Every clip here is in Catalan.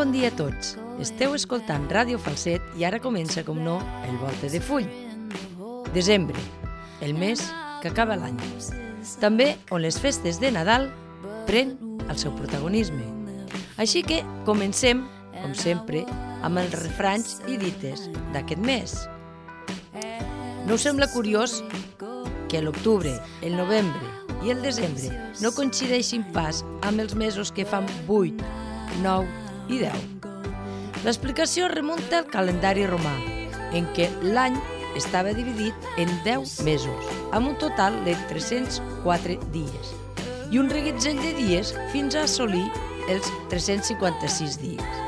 bon dia a tots. Esteu escoltant Ràdio Falset i ara comença, com no, el Volte de Full. Desembre, el mes que acaba l'any. També on les festes de Nadal pren el seu protagonisme. Així que comencem, com sempre, amb els refranys i dites d'aquest mes. No us sembla curiós que l'octubre, el novembre i el desembre no coincideixin pas amb els mesos que fan 8, 9 i 10? L'explicació remunta al calendari romà, en què l'any estava dividit en 10 mesos, amb un total de 304 dies, i un reguitzell de dies fins a assolir els 356 dies.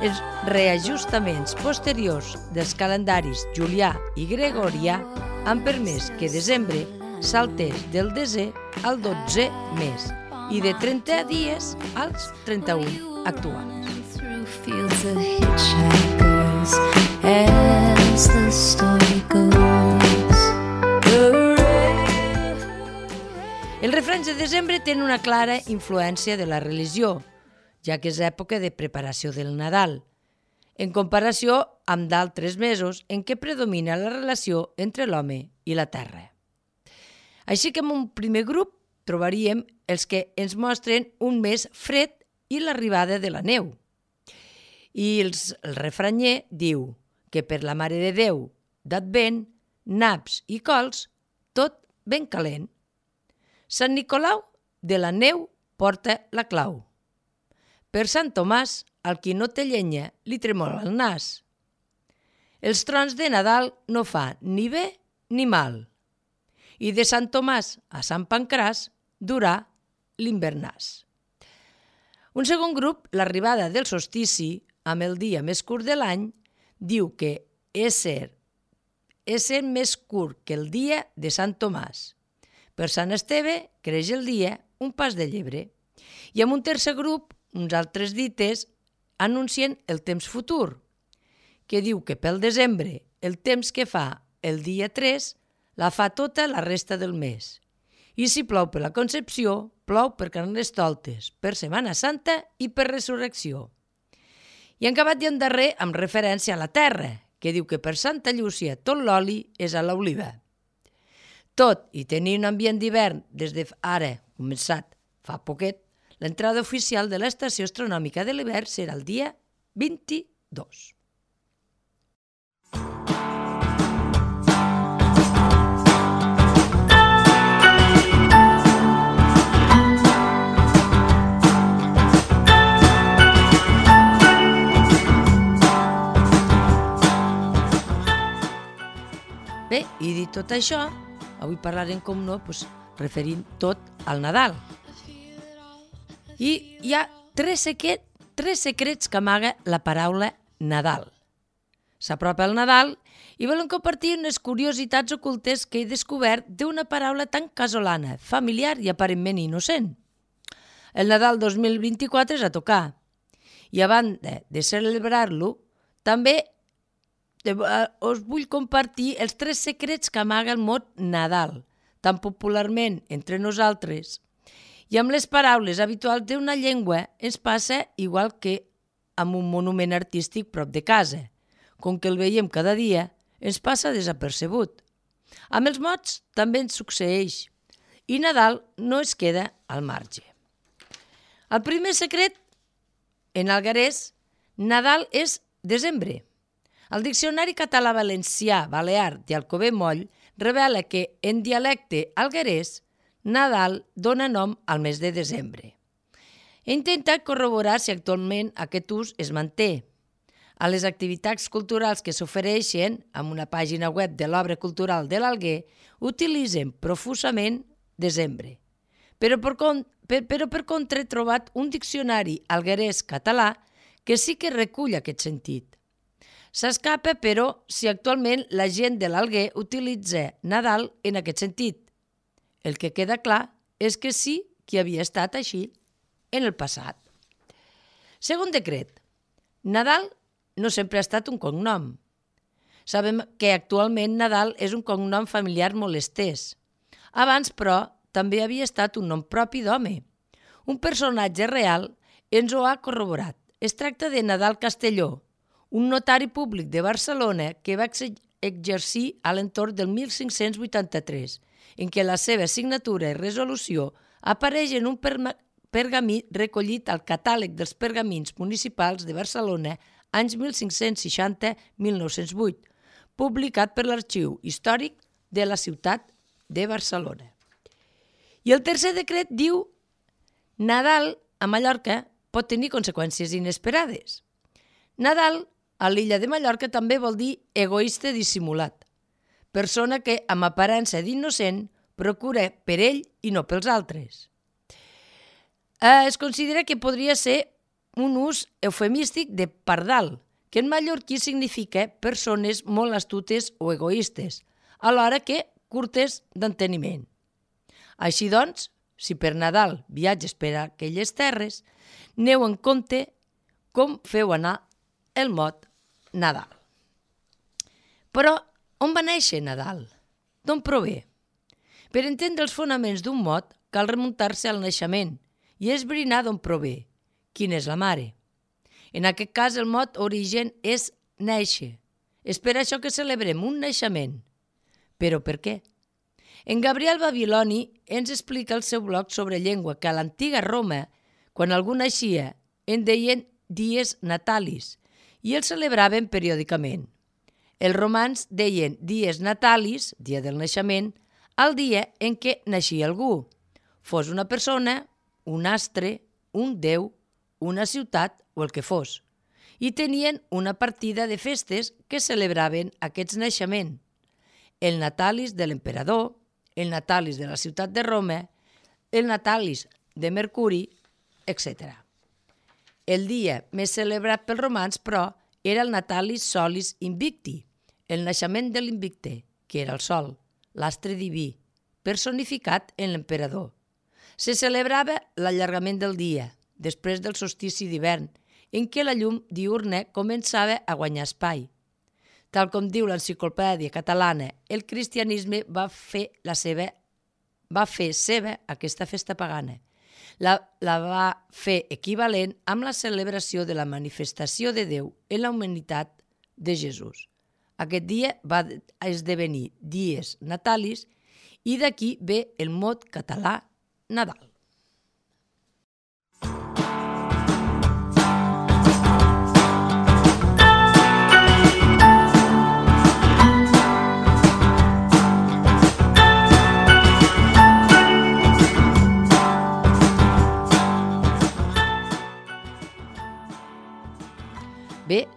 Els reajustaments posteriors dels calendaris julià i gregorià han permès que desembre saltés del 10è al 12è mes i de 30 dies als 31 actuals. Fields of hitchhikers as the story goes. Els refranys de desembre tenen una clara influència de la religió, ja que és època de preparació del Nadal, en comparació amb d'altres mesos en què predomina la relació entre l'home i la terra. Així que en un primer grup trobaríem els que ens mostren un mes fred i l'arribada de la neu. I el refranyer diu que per la Mare de Déu d'Advent, naps i cols, tot ben calent. Sant Nicolau de la neu porta la clau. Per Sant Tomàs, al qui no té llenya li tremola el nas. Els trons de Nadal no fa ni bé ni mal. I de Sant Tomàs a Sant Pancràs durà l'hivernàs. Un segon grup, l'arribada del solstici, amb el dia més curt de l'any, diu que ésser més curt que el dia de Sant Tomàs. Per Sant Esteve creix el dia un pas de llebre. I amb un tercer grup, uns altres dites anuncien el temps futur, que diu que pel desembre el temps que fa el dia 3 la fa tota la resta del mes. I si plou per la Concepció, plou per Carnestoltes, per Setmana Santa i per Resurrecció. I en acabat i en darrer amb referència a la terra, que diu que per Santa Llúcia tot l'oli és a l'oliva. Tot i tenir un ambient d'hivern des d'ara, començat fa poquet, l'entrada oficial de l'estació astronòmica de l'hivern serà el dia 22. Bé, i dit tot això, avui parlarem, com no, referint tot al Nadal. I hi ha tres secrets que amaga la paraula Nadal. S'apropa el Nadal i volen compartir unes curiositats ocultes que he descobert d'una paraula tan casolana, familiar i aparentment innocent. El Nadal 2024 és a tocar. I a banda de celebrar-lo, també us vull compartir els 3 secrets que amaga el mot Nadal, tan popularment entre nosaltres. I amb les paraules habituals d'una llengua ens passa igual que amb un monument artístic prop de casa. Com que el veiem cada dia, ens passa desapercebut. Amb els mots també ens succeeix. I Nadal no es queda al marge. El primer secret, en alguerès, Nadal és desembre. El Diccionari català-valencià, balear i alcover moll revela que, en dialecte alguerès, Nadal dona nom al mes de desembre. He intentat corroborar si actualment aquest ús es manté. A les activitats culturals que s'ofereixen amb una pàgina web de l'Obra Cultural de l'Alguer utilitzen profusament desembre. Però per contra he trobat un diccionari alguerès català que sí que recull aquest sentit. S'escapa, però, si actualment la gent de l'Alguer utilitza Nadal en aquest sentit. El que queda clar és que sí que havia estat així en el passat. Segon decret. Nadal no sempre ha estat un cognom. Sabem que actualment Nadal és un cognom familiar molt estès. Abans, però, també havia estat un nom propi d'home. Un personatge real ens ho ha corroborat. es tracta de Nadal Castelló, un notari públic de Barcelona que va exercir a l'entorn del 1583, en què la seva signatura i resolució apareix en un pergamí recollit al Catàleg dels Pergamins Municipals de Barcelona anys 1560-1908, publicat per l'Arxiu Històric de la ciutat de Barcelona. I el tercer decret diu: Nadal a Mallorca pot tenir conseqüències inesperades. Nadal a l'illa de Mallorca també vol dir egoista dissimulat, persona que, amb aparença d'innocent, procura per ell i no pels altres. Es considera que podria ser un ús eufemístic de pardal, que en mallorquí significa persones molt astutes o egoistes, alhora que curtes d'enteniment. Així doncs, si per Nadal viatges per a aquelles terres, aneu en compte com feu anar el mot Nadal. Però on va néixer Nadal? D'on prové? Per entendre els fonaments d'un mot cal remuntar-se al naixement i esbrinar d'on prové, quina és la mare. En aquest cas el mot origen és néixer. És per això que celebrem un naixement. Però per què? En Gabriel Babiloni ens explica al seu blog sobre llengua que a l'antiga Roma, quan algú naixia, en deien dies natalis i el celebraven periòdicament. Els romans deien dies natalis, dia del naixement, al dia en què naixia algú, fos una persona, un astre, un déu, una ciutat o el que fos, i tenien una partida de festes que celebraven aquests naixements. El natalis de l'emperador, el natalis de la ciutat de Roma, el natalis de Mercuri, etc. El dia més celebrat pels romans, però, era el natalis solis invicti, el naixement de l'invicte, que era el sol, l'astre diví, personificat en l'emperador. Se celebrava l'allargament del dia, després del solstici d'hivern, en què la llum diürna començava a guanyar espai. Tal com diu l'Enciclopèdia Catalana, el cristianisme va fer seva aquesta festa pagana. La va fer equivalent amb la celebració de la manifestació de Déu en la humanitat de Jesús. Aquest dia va esdevenir dies natalis i d'aquí ve el mot català Nadal. Bé,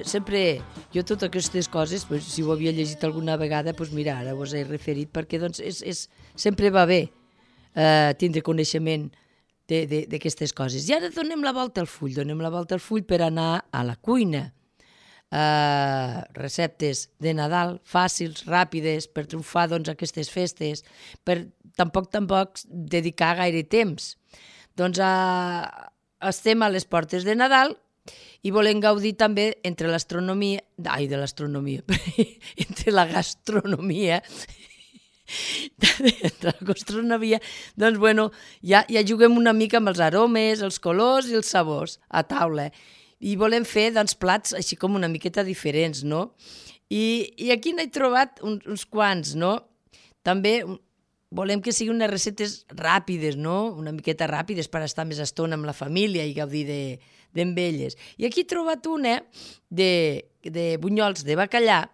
sempre jo totes aquestes coses, si ho havia llegit alguna vegada, mira, ara us he referit perquè sempre va bé tindre coneixement d'aquestes coses. I ara donem la volta al full, per anar a la cuina. Receptes de Nadal fàcils, ràpides, per triomfar aquestes festes, per tampoc dedicar gaire temps. Estem a les portes de Nadal i volem gaudir també entre la gastronomia, ja juguem una mica amb els aromes, els colors i els sabors a taula. I volem fer plats així com una miqueta diferents, no? I aquí n'he trobat uns quants, no? També volem que siguin unes receptes ràpides, no? Una miqueta ràpides per estar més estona amb la família i gaudir amb elles. I aquí he trobat una de bunyols de bacallà,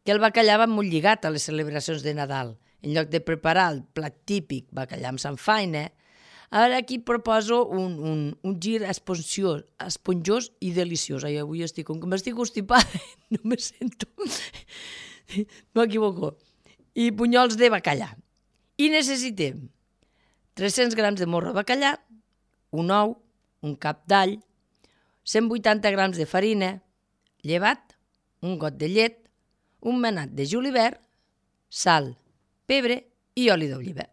que el bacallà va molt lligat a les celebracions de Nadal. En lloc de preparar el plat típic bacallà amb samfaina, ara aquí proposo un gir esponjós i deliciós. Ai, avui com que m'estic constipada, no me sento. M'equivoco. I bunyols de bacallà. I necessitem 300 grams de morro de bacallà, un ou, un cap d'all, 180 grams de farina, llevat, un got de llet, un manat de julivert, sal, pebre i oli d'oliva.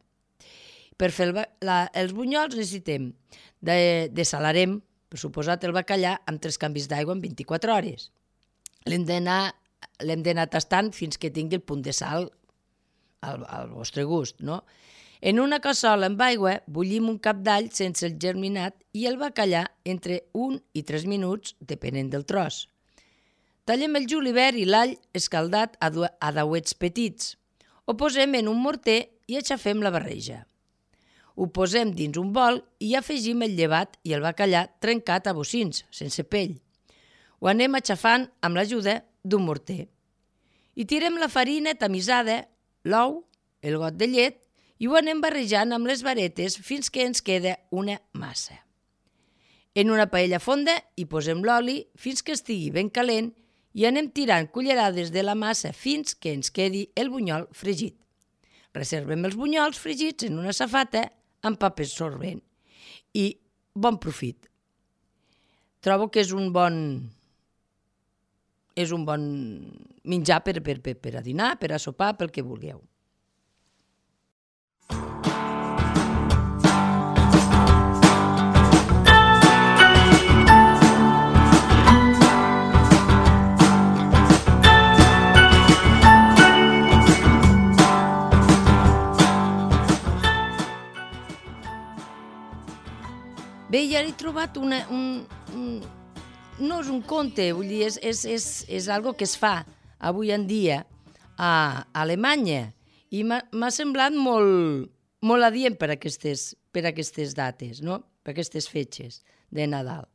Per fer els bunyols necessitem desalarem, per suposat, el bacallà amb 3 canvis d'aigua en 24 hores. L'hem d'anar tastant fins que tingui el punt de sal al vostre gust, no? En una cassola amb aigua bullim un cap d'all sense el germinat i el bacallà entre 1 i 3 minuts, depenent del tros. Tallem el julivert i l'all escaldat a dauets petits. Ho posem en un morter i aixafem la barreja. Ho posem dins un bol i afegim el llevat i el bacallà trencat a bocins, sense pell. Ho anem aixafant amb l'ajuda d'un morter. Hi tirem la farina tamisada, l'ou, el got de llet i ho anem barrejant amb les varetes fins que ens queda una massa. En una paella fonda hi posem l'oli fins que estigui ben calent i anem tirant cullerades de la massa fins que ens quedi el bunyol fregit. Reservem els bunyols fregits en una safata amb paper sorbent i bon profit. Trobo que és un bon menjar per a dinar, per a sopar, pel que vulgueu. Bé, ja he trobat no és un conte, vull dir, és algo que es fa avui en dia a Alemanya i m'ha semblat molt adient per aquestes dates, no? Per aquestes fetges de Nadal.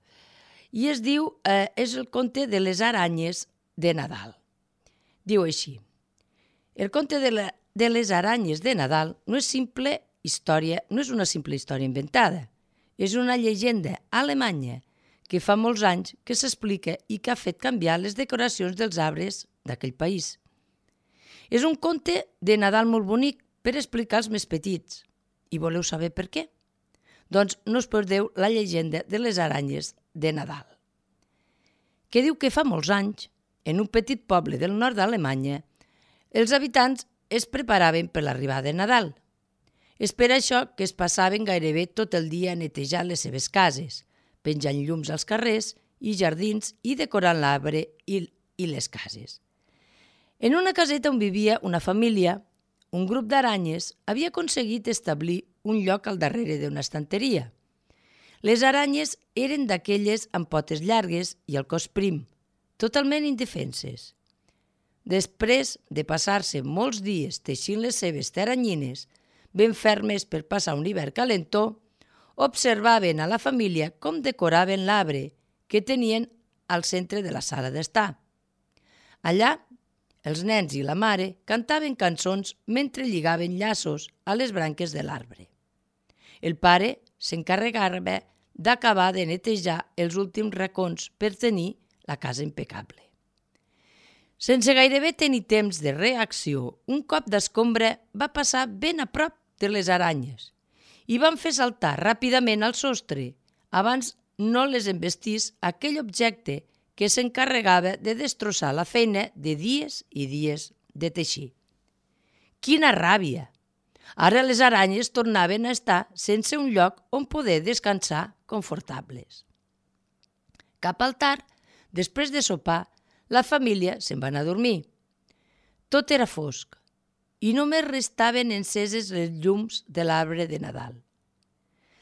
I és el conte de les aranyes de Nadal. Diu així: el conte de les aranyes de Nadal no és una simple història inventada. És una llegenda alemanya que fa molts anys que s'explica i que ha fet canviar les decoracions dels arbres d'aquell país. És un conte de Nadal molt bonic per explicar als més petits. I voleu saber per què? Doncs no us perdeu la llegenda de les aranyes de Nadal, que diu que fa molts anys, en un petit poble del nord d'Alemanya, els habitants es preparaven per l'arribada de Nadal. És per això que es passaven gairebé tot el dia netejant les seves cases, penjant llums als carrers i jardins i decorant l'arbre i les cases. En una caseta on vivia una família, un grup d'aranyes havia aconseguit establir un lloc al darrere d'una estanteria. Les aranyes eren d'aquelles amb potes llargues i el cos prim, totalment indefenses. Després de passar-se molts dies teixint les seves teranyines, ben fermes per passar un hivern calentó, observaven a la família com decoraven l'arbre que tenien al centre de la sala d'estar. Allà, els nens i la mare cantaven cançons mentre lligaven llaços a les branques de l'arbre. El pare s'encarregava d'acabar de netejar els últims racons per tenir la casa impecable. Sense gairebé tenir temps de reacció, un cop d'escombra va passar ben a prop de les aranyes i van fer saltar ràpidament al sostre abans no les embestís aquell objecte que s'encarregava de destrossar la feina de dies i dies de teixir. Quina ràbia! Ara les aranyes tornaven a estar sense un lloc on poder descansar confortables. Cap al tard, després de sopar, la família se'n va anar a dormir. Tot era fosc i només restaven enceses les llums de l'arbre de Nadal.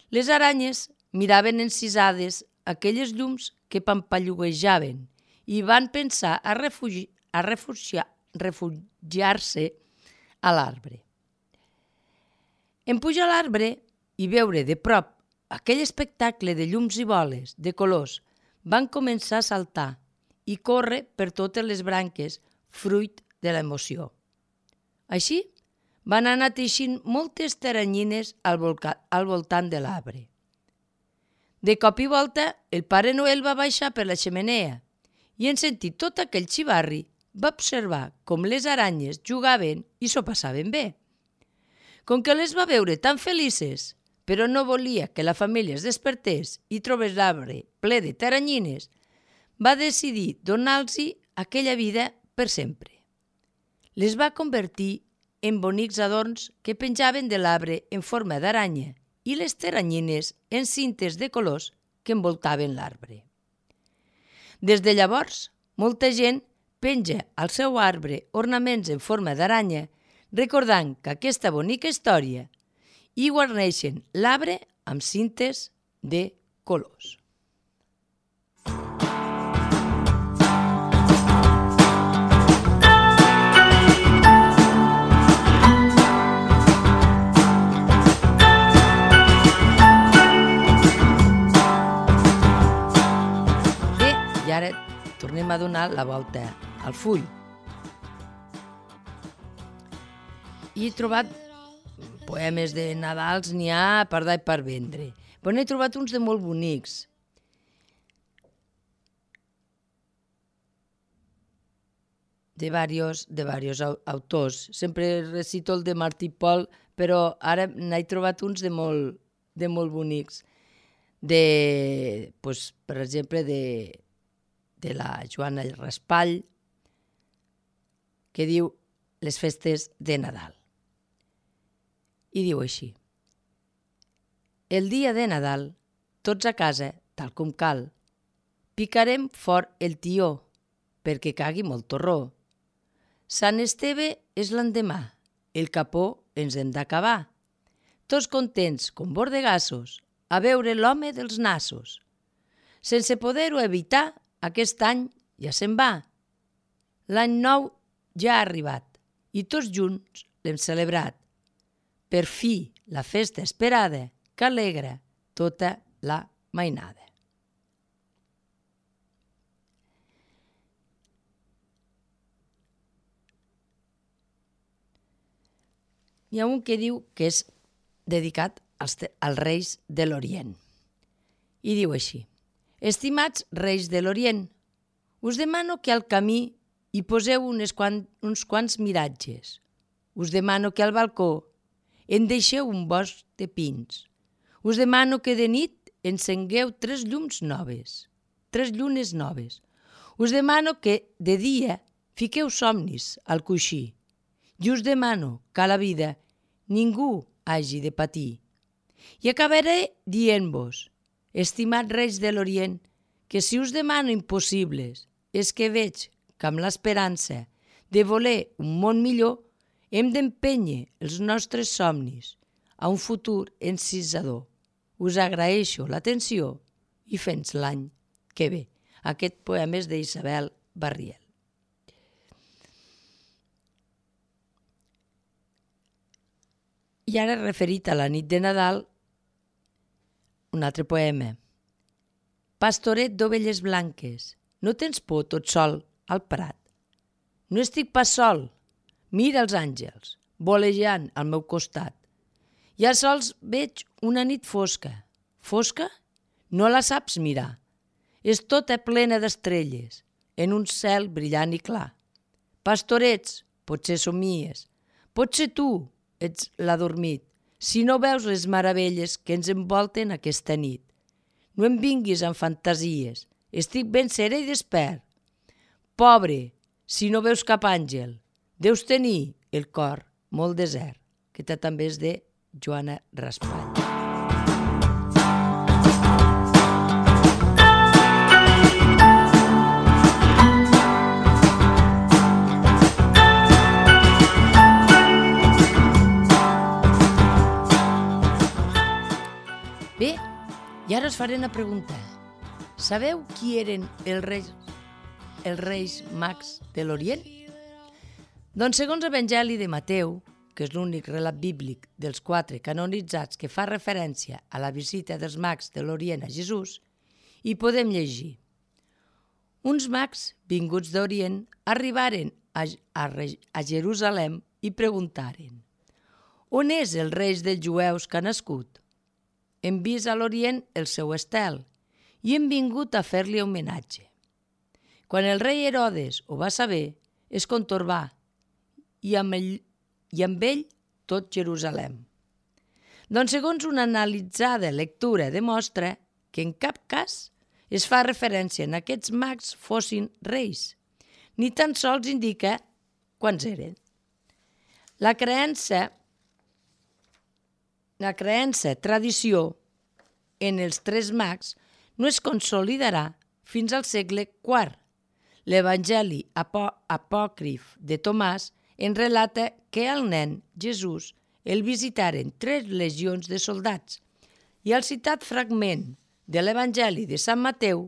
Les aranyes miraven encisades aquelles llums que pampalluguejaven i van pensar a refugiar-se a l'arbre. En pujar a l'arbre i veure de prop aquell espectacle de llums i boles, de colors, van començar a saltar i córrer per totes les branques, fruit de l'emoció. Així, van anar teixint moltes teranyines al voltant de l'arbre. De cop i volta, el Pare Noel va baixar per la xemeneia i, en sentir tot aquell xivarri, va observar com les aranyes jugaven i s'ho passaven bé. Com que les va veure tan felices, però no volia que la família es despertés i trobés l'arbre ple de teranyines, va decidir donar-los aquella vida per sempre. Les va convertir en bonics adorns que penjaven de l'arbre en forma d'aranya i les teranyines en cintes de colors que envoltaven l'arbre. Des de llavors, molta gent penja al seu arbre ornaments en forma d'aranya, recordant que aquesta bonica història i guarneixen l'arbre amb cintes de colors. I ara tornem a donar la volta al full. I he trobat poemes de Nadals, n'hi ha per dar i per vendre. Però n'he trobat uns de molt bonics. De varios autors. Sempre recito el de Martí Pol, però ara n'he trobat uns de molt bonics. Per exemple, de la Joana Raspall, que diu Les festes de Nadal. I diu així: el dia de Nadal, tots a casa, tal com cal, picarem fort el tió, perquè cagui molt torró. Sant Esteve és l'endemà, el capó ens hem d'acabar. Tots contents, com bordegassos, a veure l'home dels nassos. Sense poder-ho evitar, aquest any ja se'n va. L'any nou ja ha arribat i tots junts l'hem celebrat. Per fi, la festa esperada que alegra tota la mainada. Hi ha un que diu que és dedicat als reis de l'Orient. I diu així: estimats reis de l'Orient, us demano que al camí hi poseu uns quants miratges. Us demano que al balcó en deixeu un bosc de pins. Us demano que de nit encengueu 3 llums noves, 3 llunes noves. Us demano que de dia fiqueu somnis al coixí. I us demano que a la vida ningú hagi de patir. I acabaré dient-vos, estimats reis de l'Orient, que si us demano impossibles és que veig que amb l'esperança de voler un món millor hem d'empènyer els nostres somnis a un futur encisador. Us agraeixo l'atenció i fins l'any que ve. Aquest poema és d'Isabel Barriel. I ara, referit a la nit de Nadal, un altre poema. Pastoret d'ovelles blanques, no tens por tot sol al prat. No estic pas sol, mira els àngels, volejant al meu costat. I als sols veig una nit fosca. Fosca? No la saps mirar. És tota plena d'estrelles, en un cel brillant i clar. Pastorets, potser somies, potser tu ets l'adormit, si no veus les meravelles que ens envolten aquesta nit. No em vinguis amb fantasies, estic ben serè i despert. Pobre, si no veus cap àngel, deus tenir el cor molt desert. Aquesta també és de Joana Raspall. Bé, i ara us faré una pregunta. Sabeu qui eren els reis mags de l'Orient? Doncs segons l'Evangeli de Mateu, que és l'únic relat bíblic dels 4 canonitzats que fa referència a la visita dels mags de l'Orient a Jesús, hi podem llegir: uns mags vinguts d'Orient arribaren a Jerusalem i preguntaren: on és el rei dels jueus que ha nascut? Hem vist a l'Orient el seu estel i hem vingut a fer-li homenatge. Quan el rei Herodes ho va saber, es contorbà i amb ell tot Jerusalem. Doncs segons una analitzada lectura demostra que en cap cas es fa referència a aquests mags fossin reis, ni tan sols indica quants eren. La creença, tradició en els 3 mags no es consolidarà fins al segle IV. L'Evangeli apòcrif de Tomàs en relata que el nen Jesús el visitaren 3 legions de soldats i el citat fragment de l'Evangeli de Sant Mateu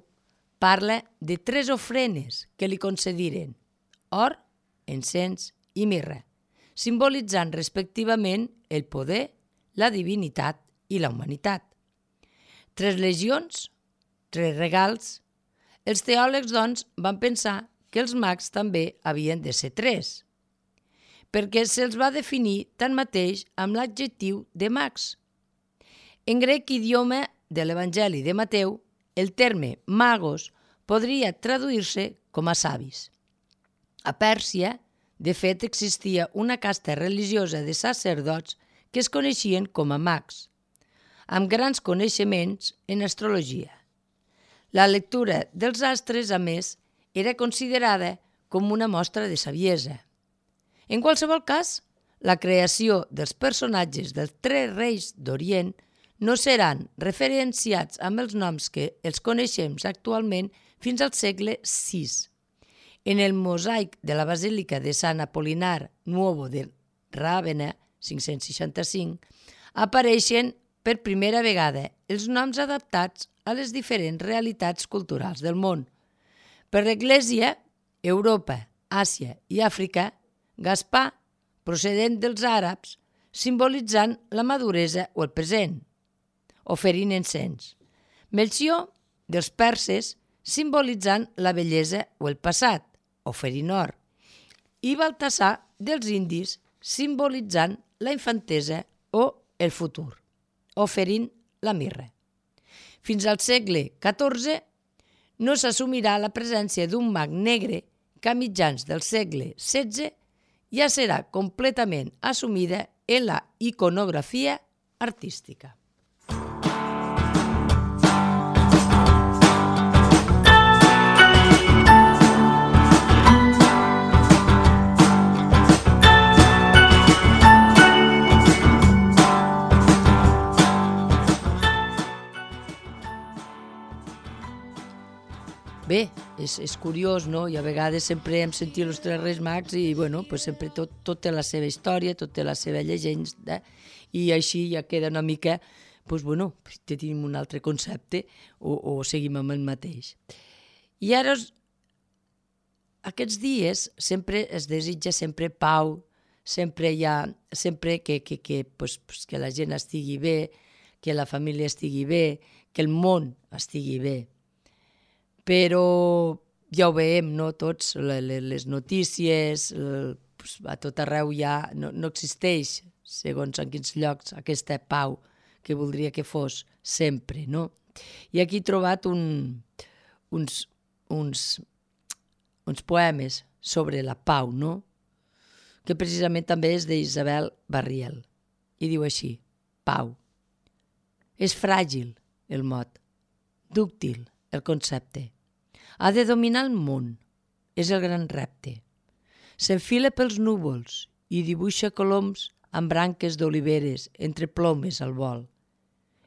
parla de 3 ofrenes que li concediren: or, encens i mirra, simbolitzant respectivament el poder, la divinitat i la humanitat. 3 legions, 3 regals. Els teòlegs, doncs, van pensar que els mags també havien de ser 3, perquè se'ls va definir tanmateix amb l'adjectiu de mags. En grec idioma de l'Evangeli de Mateu, el terme magos podria traduir-se com a savis. A Pèrsia, de fet, existia una casta religiosa de sacerdots que es coneixien com a mags, amb grans coneixements en astrologia. La lectura dels astres, a més, era considerada com una mostra de saviesa. En qualsevol cas, la creació dels personatges dels 3 reis d'Orient no seran referenciats amb els noms que els coneixem actualment fins al segle VI. En el mosaic de la Basílica de Sant Apol·linar Nuovo de Ràvenna, 565, apareixen per primera vegada els noms adaptats a les diferents realitats culturals del món. Per l'Església, Europa, Àsia i Àfrica, Gaspar, procedent dels àrabs, simbolitzant la maduresa o el present, oferint encens. Melcior, dels perses, simbolitzant la bellesa o el passat, oferint or. I Baltasar, dels indis, simbolitzant la infantesa o el futur, oferint la mirra. Fins al segle XIV no s'assumirà la presència d'un mag negre que a mitjans del segle XVI ja serà completament assumida en la iconografia artística. Bé, és curiós, no? I a vegades sempre hem sentit els 3 Reis Mags i, bueno, pues sempre tot té la seva història, tot té la seva llegenda, i així ja queda una mica, pues, bueno, tenim un altre concepte o seguim amb el mateix. I ara, aquests dies, sempre es desitja sempre pau, sempre que la gent estigui bé, que la família estigui bé, que el món estigui bé. Però ja ho veiem, no? Tots, les notícies, a tot arreu ja no existeix, segons en quins llocs, aquesta pau que voldria que fos sempre, no? I aquí he trobat uns poemes sobre la pau, no? Que precisament també és d'Isabel Barriel. I diu així: pau. És fràgil el mot, dúctil el concepte. Ha de dominar el món, és el gran repte. S'enfila pels núvols i dibuixa coloms amb branques d'oliveres entre plomes al vol.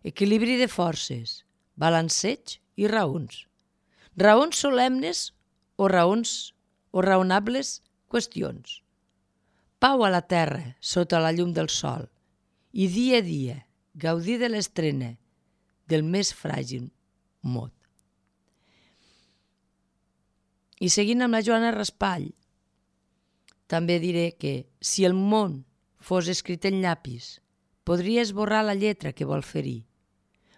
Equilibri de forces, balanceig i raons. Raons solemnes o raonables qüestions. Pau a la terra sota la llum del sol i dia a dia gaudir de l'estrena del més fràgil mot. I seguint amb la Joana Raspall, també diré que si el món fos escrit en llapis, podria esborrar la lletra que vol ferir.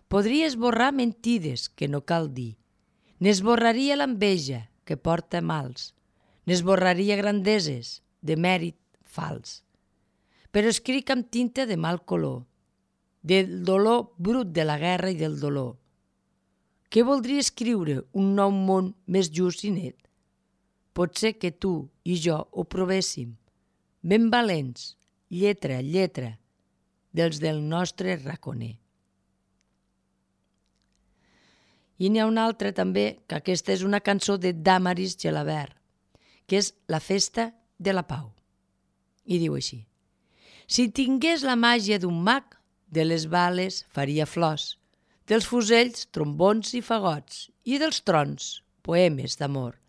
Podria esborrar mentides que no cal dir. N'esborraria l'enveja que porta mals. N'esborraria grandeses de mèrit fals. Però escric amb tinta de mal color, del dolor brut de la guerra i del dolor. Què voldria escriure un nou món més just i net? Pot ser que tu i jo ho provéssim, ben valents, lletra a lletra, dels del nostre raconer. I n'hi ha una altra també, que aquesta és una cançó de Damaris Gelabert, que és La festa de la pau. I diu així: si tingués la màgia d'un mag, de les bales faria flors, dels fusells trombons i fagots, i dels trons poemes d'amor.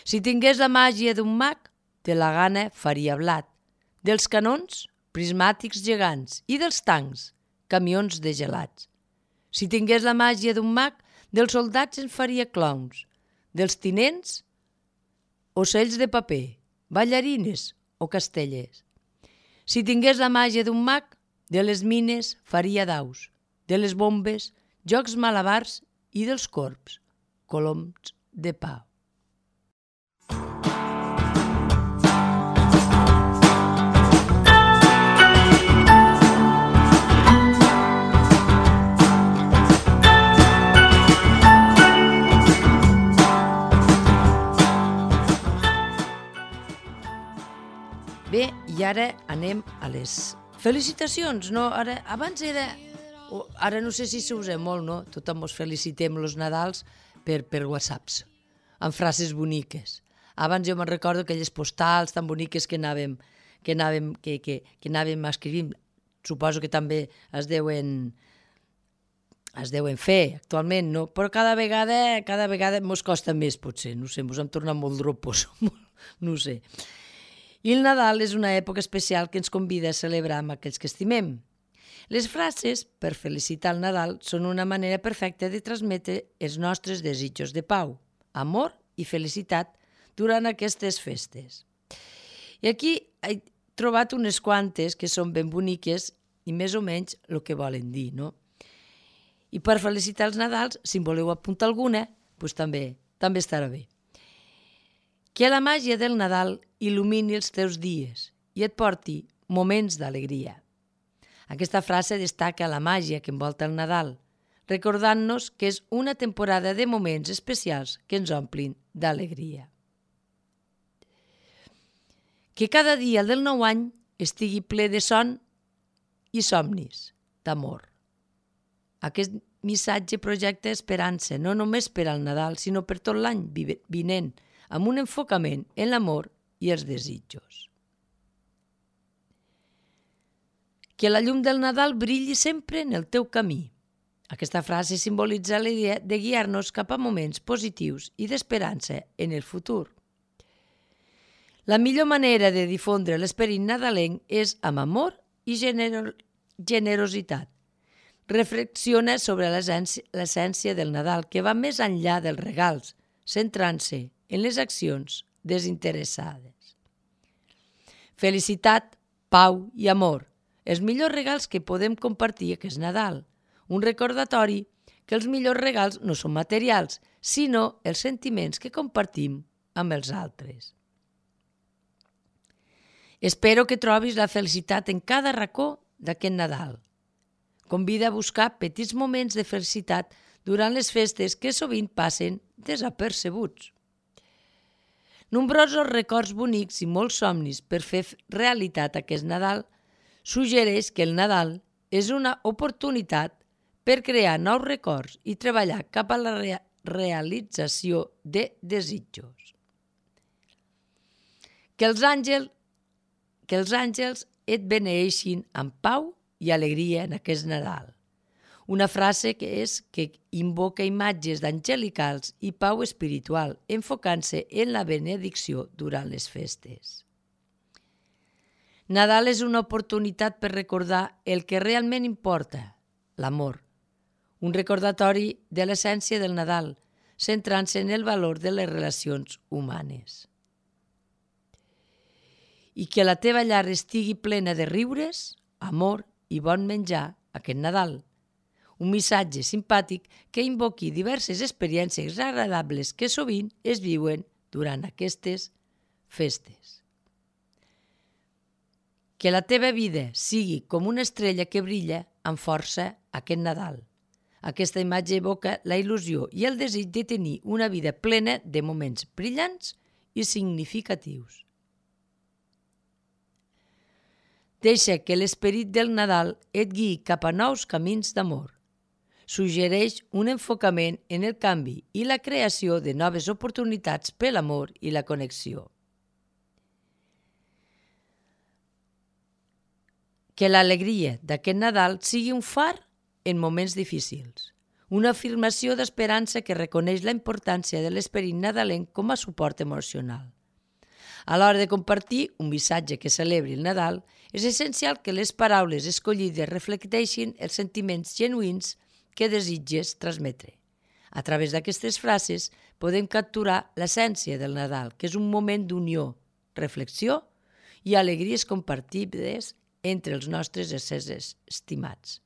Si tingués la màgia d'un mag, de la gana faria blat, dels canons prismàtics gegants i dels tancs, camions de gelats. Si tingués la màgia d'un mag, dels soldats en faria clowns, dels tinents, ocells de paper, ballarines o castellers. Si tingués la màgia d'un mag, de les mines faria daus, de les bombes, jocs malabars i dels corbs, coloms de pau. Bé, i ara anem a les felicitacions, no? Abans era... Ara no sé si s'usa molt, no? Tothom ens felicitem els Nadals per whatsapps, amb frases boniques. Abans jo me'n recordo aquelles postals tan boniques que anàvem escrivint. Suposo que també es deuen fer actualment, no? Però cada vegada mos costa més, potser, no sé, mos hem tornat molt dropos, no sé. I el Nadal és una època especial que ens convida a celebrar amb aquells que estimem. Les frases per felicitar el Nadal són una manera perfecta de transmetre els nostres desitjos de pau, amor i felicitat durant aquestes festes. I aquí he trobat unes quantes que són ben boniques i més o menys el que volen dir, no? I per felicitar els Nadals, si en voleu apuntar alguna, doncs també estarà bé. Que la màgia del Nadal il·lumini els teus dies i et porti moments d'alegria. Aquesta frase destaca la màgia que envolta el Nadal, recordant-nos que és una temporada de moments especials que ens omplin d'alegria. Que cada dia del nou any estigui ple de son i somnis, d'amor. Aquest missatge projecta esperança no només per al Nadal, sinó per tot l'any vinent, amb un enfocament en l'amor i els desitjos. Que la llum del Nadal brilli sempre en el teu camí. Aquesta frase simbolitza la idea de guiar-nos cap a moments positius i d'esperança en el futur. La millor manera de difondre l'esperit nadalenc és amb amor i generositat. Reflexiona sobre l'essència del Nadal, que va més enllà dels regals, centrant-se en les accions desinteressades. Felicitat, pau i amor, els millors regals que podem compartir aquest Nadal. Un recordatori que els millors regals no són materials, sinó els sentiments que compartim amb els altres. Espero que trobis la felicitat en cada racó d'aquest Nadal. Convida a buscar petits moments de felicitat durant les festes que sovint passen desapercebuts. Nombrosos records bonics i molts somnis per fer realitat aquest Nadal suggereix que el Nadal és una oportunitat per crear nous records i treballar cap a la realització de desitjos. Que els àngels et beneeixin amb pau i alegria en aquest Nadal. Una frase que invoca imatges d'angelicals i pau espiritual, enfocant-se en la benedicció durant les festes. Nadal és una oportunitat per recordar el que realment importa, l'amor. Un recordatori de l'essència del Nadal, centrant-se en el valor de les relacions humanes. I que la teva llar estigui plena de riures, amor i bon menjar aquest Nadal. Un missatge simpàtic que invoqui diverses experiències agradables que sovint es viuen durant aquestes festes. Que la teva vida sigui com una estrella que brilla amb força aquest Nadal. Aquesta imatge evoca la il·lusió i el desig de tenir una vida plena de moments brillants i significatius. Deixa que l'esperit del Nadal et guiï cap a nous camins d'amor. Suggereix un enfocament en el canvi i la creació de noves oportunitats per l'amor i la connexió. Que l'alegria d'aquest Nadal sigui un far en moments difícils, una afirmació d'esperança que reconeix la importància de l'esperit nadalenc com a suport emocional. A l'hora de compartir un missatge que celebri el Nadal, és essencial que les paraules escollides reflecteixin els sentiments genuïns que desitges transmetre. A través d'aquestes frases podem capturar l'essència del Nadal, que és un moment d'unió, reflexió i alegries compartides entre els nostres éssers estimats.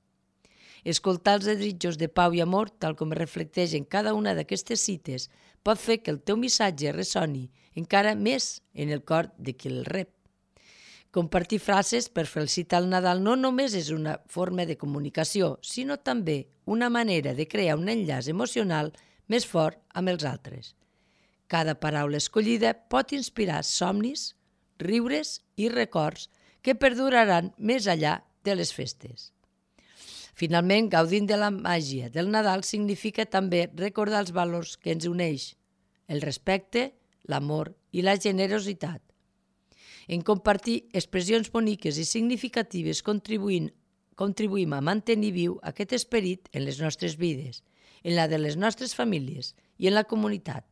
Escoltar els desitjos de pau i amor, tal com es reflecteix en cada una d'aquestes cites, pot fer que el teu missatge ressoni encara més en el cor de qui el rep. Compartir frases per felicitar el Nadal no només és una forma de comunicació, sinó també una manera de crear un enllaç emocional més fort amb els altres. Cada paraula escollida pot inspirar somnis, riures i records que perduraran més enllà de les festes. Finalment, gaudint de la màgia del Nadal significa també recordar els valors que ens uneix, el respecte, l'amor i la generositat. En compartir expressions boniques i significatives contribuïm a mantenir viu aquest esperit en les nostres vides, en la de les nostres famílies i en la comunitat.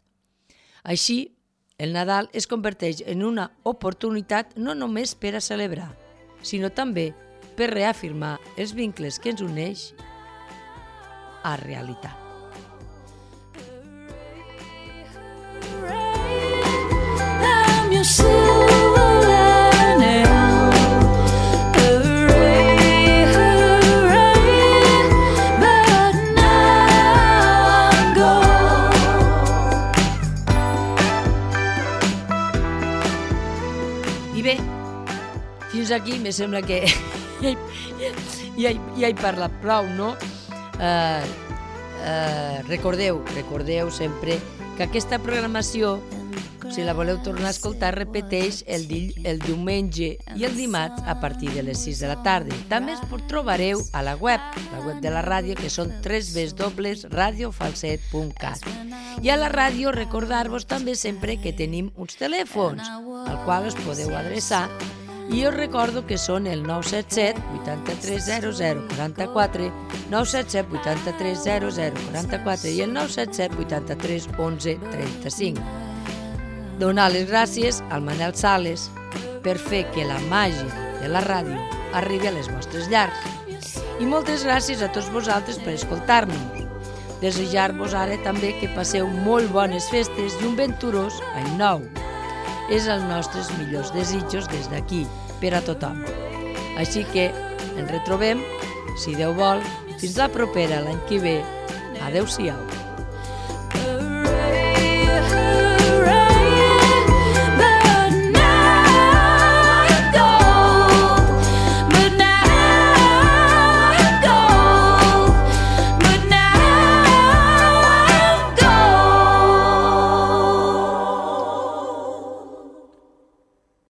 Així, el Nadal es converteix en una oportunitat no només per a celebrar, sinó també per reafirmar els vincles que ens uneix a realitat. I bé, fins aquí me sembla que ja he parlat prou, no? Recordeu sempre que aquesta programació, si la voleu tornar a escoltar, repeteix el diumenge i el dimarts a partir de les 6 de la tarda. També es trobareu a la web de la ràdio, que són www.radiofalset.cat. I a la ràdio recordar-vos també sempre que tenim uns telèfons al qual us podeu adreçar. I us recordo que són el 977 83 00 44, 977 83 00 44 i el 977 83 11 35. Donar les gràcies al Manel Sales per fer que la màgia de la ràdio arribi a les vostres llars. I moltes gràcies a tots vosaltres per escoltar-nos. Desitjar-vos ara també que passeu molt bones festes i un venturós any nou. És els nostres millors desitjos des d'aquí, per a tothom. Així que ens retrobem, si Déu vol, fins la propera l'any que ve. Adéu-siau.